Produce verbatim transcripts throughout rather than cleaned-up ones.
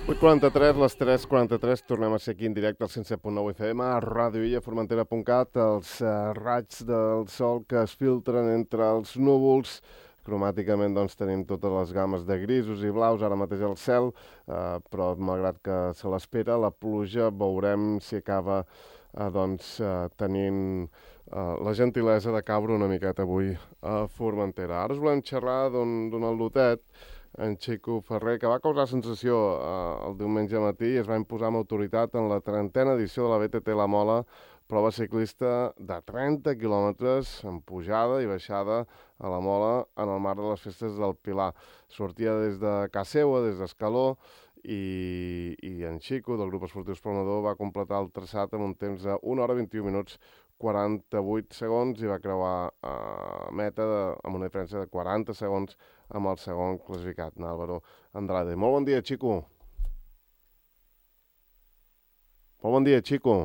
vuit quaranta-tres, les tres quaranta-tres, tornem a ser aquí en directe al cent set punt nou F M, a Ràdio Illa, Formentera punt cat, els uh, raigs del sol que es filtren entre els núvols. Cromàticament doncs, tenim totes les gammes de grisos i blaus, ara mateix al cel, uh, però malgrat que se l'espera, la pluja veurem si acaba uh, doncs, uh, tenint uh, la gentilesa de caure una miqueta avui a Formentera. Ara us volem xerrar d'un al·lotet, en Xico Ferrer, que va causar sensació eh, el diumenge matí i es va imposar amb autoritat en la trentena edició de la B T T La Mola, prova ciclista de trenta quilòmetres en pujada i baixada a la Mola en el marc de les festes del Pilar. Sortia des de casa seua, des d'Escaló, i, i en Xico, del grup esportiu Esplanador, va completar el traçat amb un temps de una hora vint-i-un minuts quaranta-vuit segons i va creuar a eh, meta de, amb una diferència de quaranta segons amb el segon classificat, Álvaro Andrade. Molt bon dia, Xico. Molt bon dia, Xico.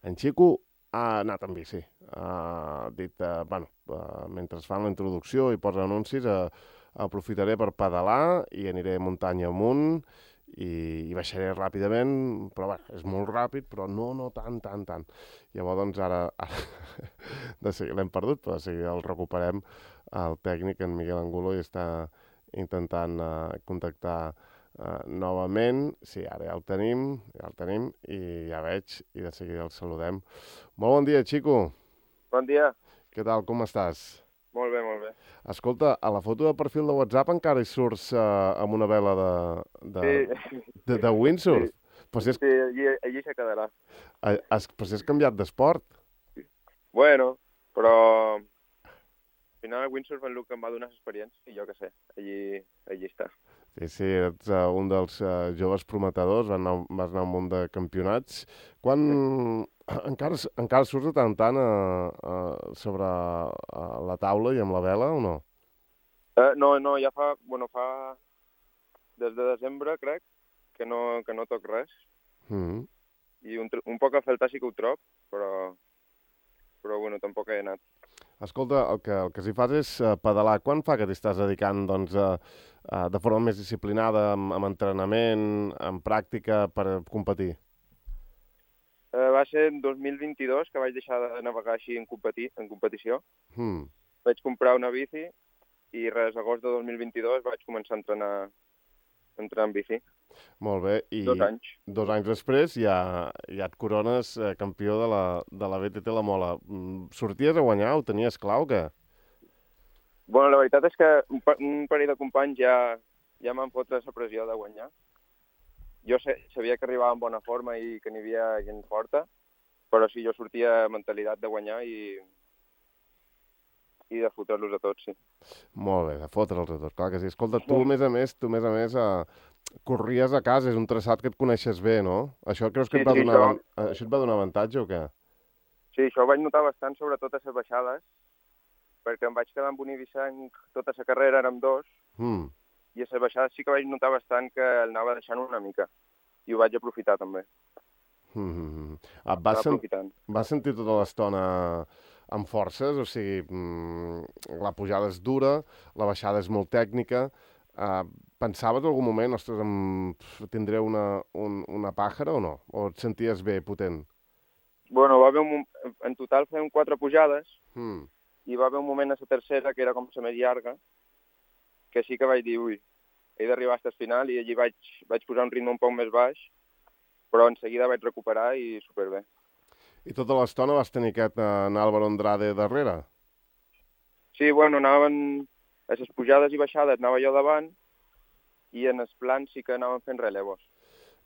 En Xico ha anat amb bici. Ha dit, eh, bueno, eh, mentre fan la introducció i posa anuncis, eh, aprofitaré per pedalar i aniré muntanya amunt i, i baixaré ràpidament, però bé, és molt ràpid, però no, no tant, tant, tant. Llavors, doncs, ara, ara de seguida l'hem perdut, però de seguida el recuperem. El tècnic, en Miguel Angulo, i està intentant uh, contactar uh, novament. Sí, ara ja el tenim, ja el tenim, i ja veig, i de seguida el saludem. Molt bon dia, Xico. Bon dia. Què tal, com estàs? Molt bé, molt bé. Escolta, a la foto de perfil de WhatsApp encara hi surts uh, amb una vela de, de, sí. de, de windsurf. Sí, però si és, sí allí, allí se quedarà. Has, però si has canviat d'esport. Bueno, però al final el windsurf és el que em va donar experiència i jo què sé, allí, allí està. Sí, sí, ets uh, un dels uh, joves prometedors, vas anar, vas anar a un munt de campionats. Quan sí. encara, encara surts de tant en tant uh, uh, sobre uh, la taula i amb la vela o no? Uh, no, no, ja fa, bueno, fa des de desembre, crec, que no, que no toc res. Mm-hmm. I un, un poc a faltar sí que ho trob, però, però bueno, tampoc he anat. Escolta, el que, el que s'hi fas és uh, pedalar. Quan fa que t'hi estàs dedicant doncs, uh, uh, de forma més disciplinada, amb, amb entrenament, amb pràctica per competir? Uh, va ser en dos mil vint-i-dos que vaig deixar de navegar així en, competi en competició. Mm. Vaig comprar una bici i res, agost de dos mil vint-i-dos vaig començar a entrenar, a entrenar en bici. Molt bé. I dos anys. Dos anys després ja, ja et corones eh, campió de la, de la B T T La Mola. Sorties a guanyar? Ho tenies clar o què? Bueno, la veritat és que un, un parell de companys ja, ja m'han fotre la pressió de guanyar. Jo sé, sabia que arribava en bona forma i que n'hi havia gent forta, però sí, jo sortia amb mentalitat de guanyar i, i de fotre'ls a tots, sí. Molt bé, de fotre'ls a tots, clar que sí. Escolta, tu, a més a més, tu, a més a més, eh, corries a casa, és un traçat que et coneixes bé, no? Això creus que sí, et va sí, donar, això... això et va donar avantatge o què? Sí, això ho vaig notar bastant, sobretot a les baixades, perquè em vaig quedar amb un ibicenc tota la carrera, érem dos, mm. i a les baixades sí que vaig notar bastant que el anava deixant una mica, i ho vaig aprofitar també. Mm-hmm. Et vas, sen vas sentir tota l'estona amb forces? O sigui, mm, la pujada és dura, la baixada és molt tècnica. Uh, pensaves en algun moment, ostres, em... tindré una, un, una pàjara o no? O et senties bé, potent? Bueno, va haver un... en total fèiem quatre pujades, mm. i va haver un moment a la tercera, que era com la més llarga, que sí que vaig dir, ui, he d'arribar fins al final, i allí vaig, vaig posar un ritme un poc més baix, però en seguida vaig recuperar i superbé. I tota l'estona vas tenir aquest en Álvaro Andrade darrere? Sí, bueno, anaven a les pujades i baixades, anava jo davant, i en els plans sí que anaven fent relevos.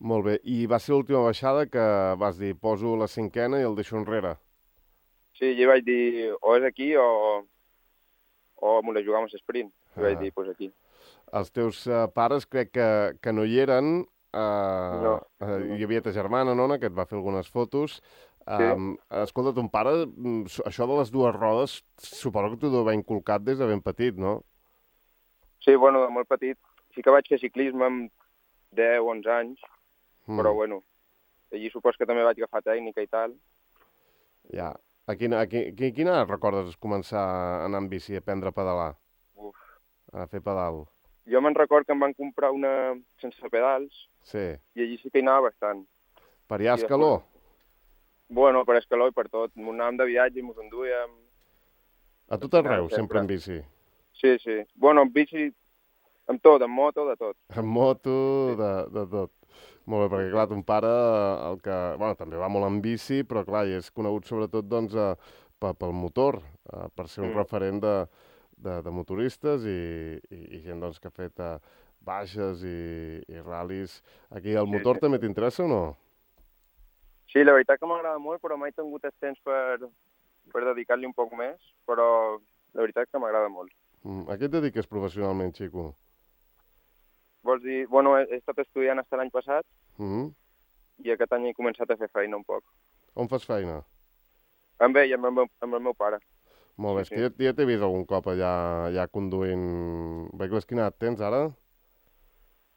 Molt bé, i va ser l'última baixada que vas dir, poso la cinquena i el deixo enrere? Sí, jo vaig dir, o és aquí o, o m'ho la jugam a l'esprint. I ah. vaig dir, doncs aquí. Els teus uh, pares crec que, que no hi eren. Uh, no. Uh, hi havia ta germana, Nona, que et va fer algunes fotos. Um, sí. Escolta, ton pare, això de les dues rodes, suposo que t'ho deu haver inculcat des de ben petit, no? Sí, bueno, de molt petit. Sí que vaig fer ciclisme amb deu o onze anys, mm. però bueno, allí supos que també vaig agafar tècnica i tal. Ja. A quina, a quina, quina recordes començar a anar amb bici, a aprendre a pedalar? Uf. A fer pedal? Jo me'n record que em van comprar una sense pedals Sí. i allí sí que hi anava bastant. Per allà a I Escaló? després- Bueno, per Escaló i per tot. M'ho anàvem de viatge i m'ho enduíem. A tot arreu, sempre en bici. Sí, sí. Bueno, amb bici, amb tot, amb moto, de tot. Amb moto, Sí. de, de tot. Molt bé, perquè clar, ton pare, el que... Bueno, també va molt en bici, però clar, i és conegut sobretot, doncs, eh, pe- pel motor, eh, per ser un Mm. referent de, de, de motoristes i, i, i gent, doncs, que ha fet eh, baixes i, i ral·lis. Aquí el Sí, motor sí. també t'interessa o no? Sí, la veritat que m'agrada molt, però mai he tingut el temps per, per dedicar-li un poc més, però la veritat que m'agrada molt. Mm, a què et dediques professionalment, Xico? Vols dir, bueno, he, he estat estudiant fins l'any passat Mm -hmm. i aquest any he començat a fer feina un poc. On fas feina? Amb ell, amb el meu, amb el meu pare. Molt bé, Sí, és que ja, ja t'he vist algun cop allà, allà conduint vehicles. Quina edat tens ara?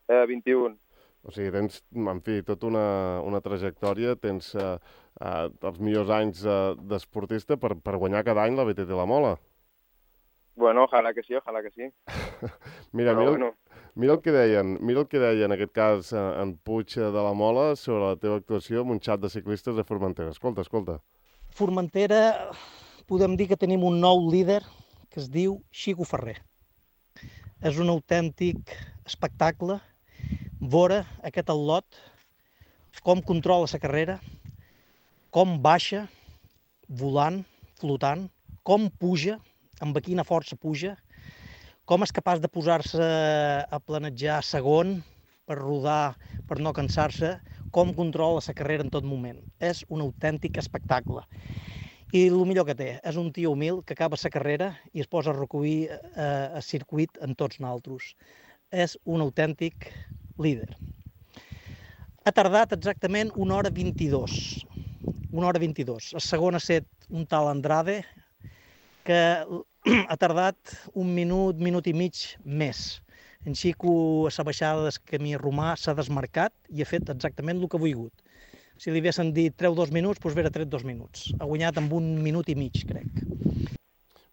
Eh, vint-i-un. O sigui, tens, en fi, tota una, una trajectòria, tens eh, eh, els millors anys eh, d'esportista per, per guanyar cada any la B T T La Mola. Bueno, ojalà que sí, ojalà que sí. Mira, Però mira, bueno, mira el que deien, mira el que deia en aquest cas eh, en Puig de la Mola sobre la teva actuació amb un xat de ciclistes de Formentera. Escolta, escolta. Formentera, podem dir que tenim un nou líder que es diu Xico Ferrer. És un autèntic espectacle veure aquest al·lot, com controla la carrera, com baixa, volant, flotant, com puja, amb quina força puja, com és capaç de posar-se a planejar segon per rodar, per no cansar-se, com controla la carrera en tot moment. És un autèntic espectacle. I el millor que té, és un tio humil que acaba la carrera i es posa a recollir eh, el circuit en tots nosaltres. És un autèntic líder. Ha tardat exactament una hora vint-i-dos. Una hora vint-i-dos. El segon ha set un tal Andrade, que ha tardat un minut, minut i mig més. En Xico, a la baixada del camí romà, s'ha desmarcat i ha fet exactament el que ha volgut. Si li haguessin dit treu dos minuts, doncs hauria tret dos minuts. Ha guanyat amb un minut i mig, crec.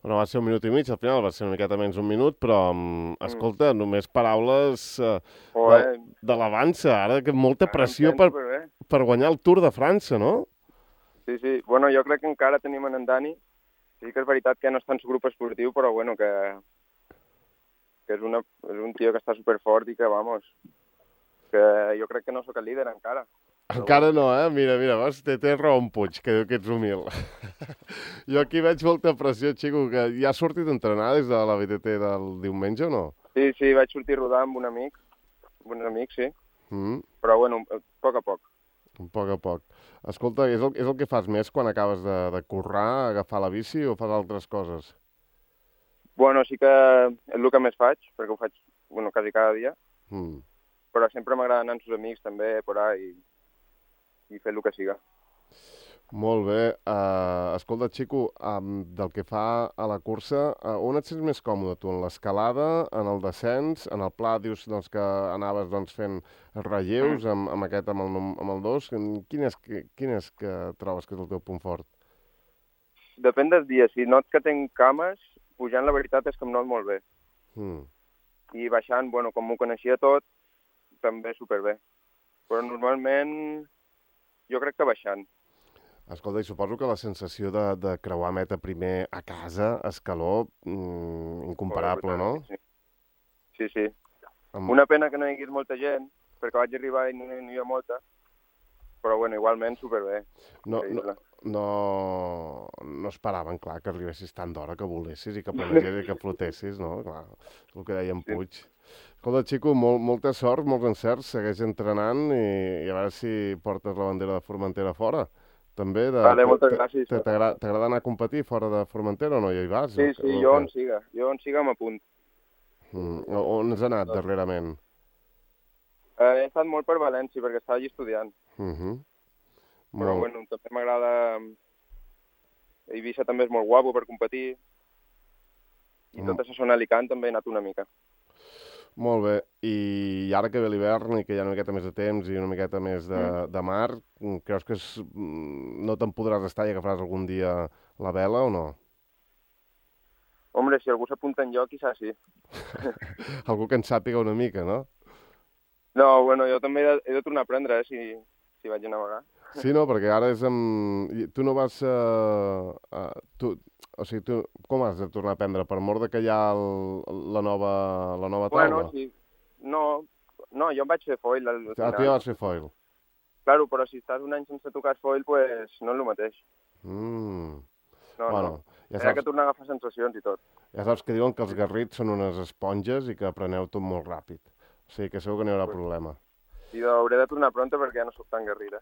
Bueno, va ser un minut i mig, al final va ser una miqueta menys un minut, però, um, escolta, només paraules uh, de, de l'avança, ara que molta pressió per, per guanyar el Tour de França, no? Sí, sí. Bueno, jo crec que encara tenim en Dani. Sí que és veritat que no està en el grup esportiu, però bueno, que, que és, una, és un tio que està superfort i que, vamos, que jo crec que no sóc el líder encara. Encara no, eh? Mira, mira, vas, té, té raó en Puig, que diu que ets humil. Jo aquí veig molta pressió, Xico, que ja has sortit a entrenar des de la B T T del diumenge o no? Sí, sí, vaig sortir a rodar amb un amic, amb un amic, sí. Mm. Però, bueno, a poc a poc. A poc a poc. Escolta, és el, és el que fas més quan acabes de, de currar, agafar la bici o fas altres coses? Bueno, sí que és el que més faig, perquè ho faig, bueno, quasi cada dia. Mm. Però sempre m'agrada anar amb els amics també, por ahí, i, i fer el que siga. Molt bé. Uh, escolta, Xico, um, del que fa a la cursa, uh, on et sents més còmode tu? En l'escalada, en el descens, en el pla, dius doncs, que anaves doncs, fent relleus amb, amb aquest, amb el, amb el dos. Quin és, quin és que trobes que és el teu punt fort? Depèn dels dies. Si not que tinc cames, pujant la veritat és que em not molt bé. Mm. I baixant, bueno, com m'ho coneixia tot, també superbé. Però normalment jo crec que baixant. Escolta, i suposo que la sensació de, de creuar meta primer a casa, a Escaló, mmm, incomparable, no? Sí, sí. sí. Amb... Una pena que no hi hagués molta gent, perquè vaig arribar i no, no hi havia molta, però bueno, igualment superbé. No, no, no, no esperaven, clar, que arribessis tant d'hora, que volessis i que planegessis i que flotessis, no? Clar, és el que deia en Puig. Sí. Escolta, Xico, molt, molta sort, molts encerts, segueix entrenant i, i a veure si portes la bandera de Formentera fora. També de... Vale, moltes gràcies. T'agrada anar a competir fora de Formentera o no? Ja hi vas? Sí, sí, jo on siga. Jo on siga m'apunt. Mm. On has anat darrerament? Eh, he estat molt per València, perquè estava allí estudiant. Uh -huh. Però, molt... bueno, també m'agrada... Eivissa també és molt guapo per competir. I mm. tota la zona Alicant també he anat una mica. Molt bé. I ara que ve l'hivern i que hi ha una miqueta més de temps i una miqueta més de, mm. de mar, creus que és, no te'n podràs estar i agafaràs algun dia la vela o no? Hombre, si algú s'apunta en lloc, quizás sí. Algú que en sàpiga una mica, no? No, bueno, jo també he de, he de tornar a aprendre, eh, si, si vaig a navegar. Sí, no, perquè ara és amb... i Tu no vas... Uh, uh, tu... O sigui, tu com has de tornar a aprendre? Per mort de que hi ha el, la nova, la nova taula? Bueno, sí. No, no, jo em vaig fer foil al final. Ah, tu ja vas fer foil. Claro, però si estàs un any sense tocar foil, pues no és el mateix. Mm. No, Bueno, no. ja Hi ha saps, que tornar a agafar sensacions i tot. ja saps que diuen que els garrits són unes esponges i que apreneu tot molt ràpid. O sigui que segur que no hi haurà problema. I hauré de tornar pronta perquè ja no soc tan guerrera.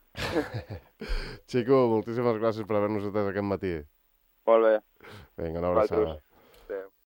Xico, moltíssimes gràcies per haver-nos atès aquest matí. Molt bé. Vinga, una abraçada. Vosaltres.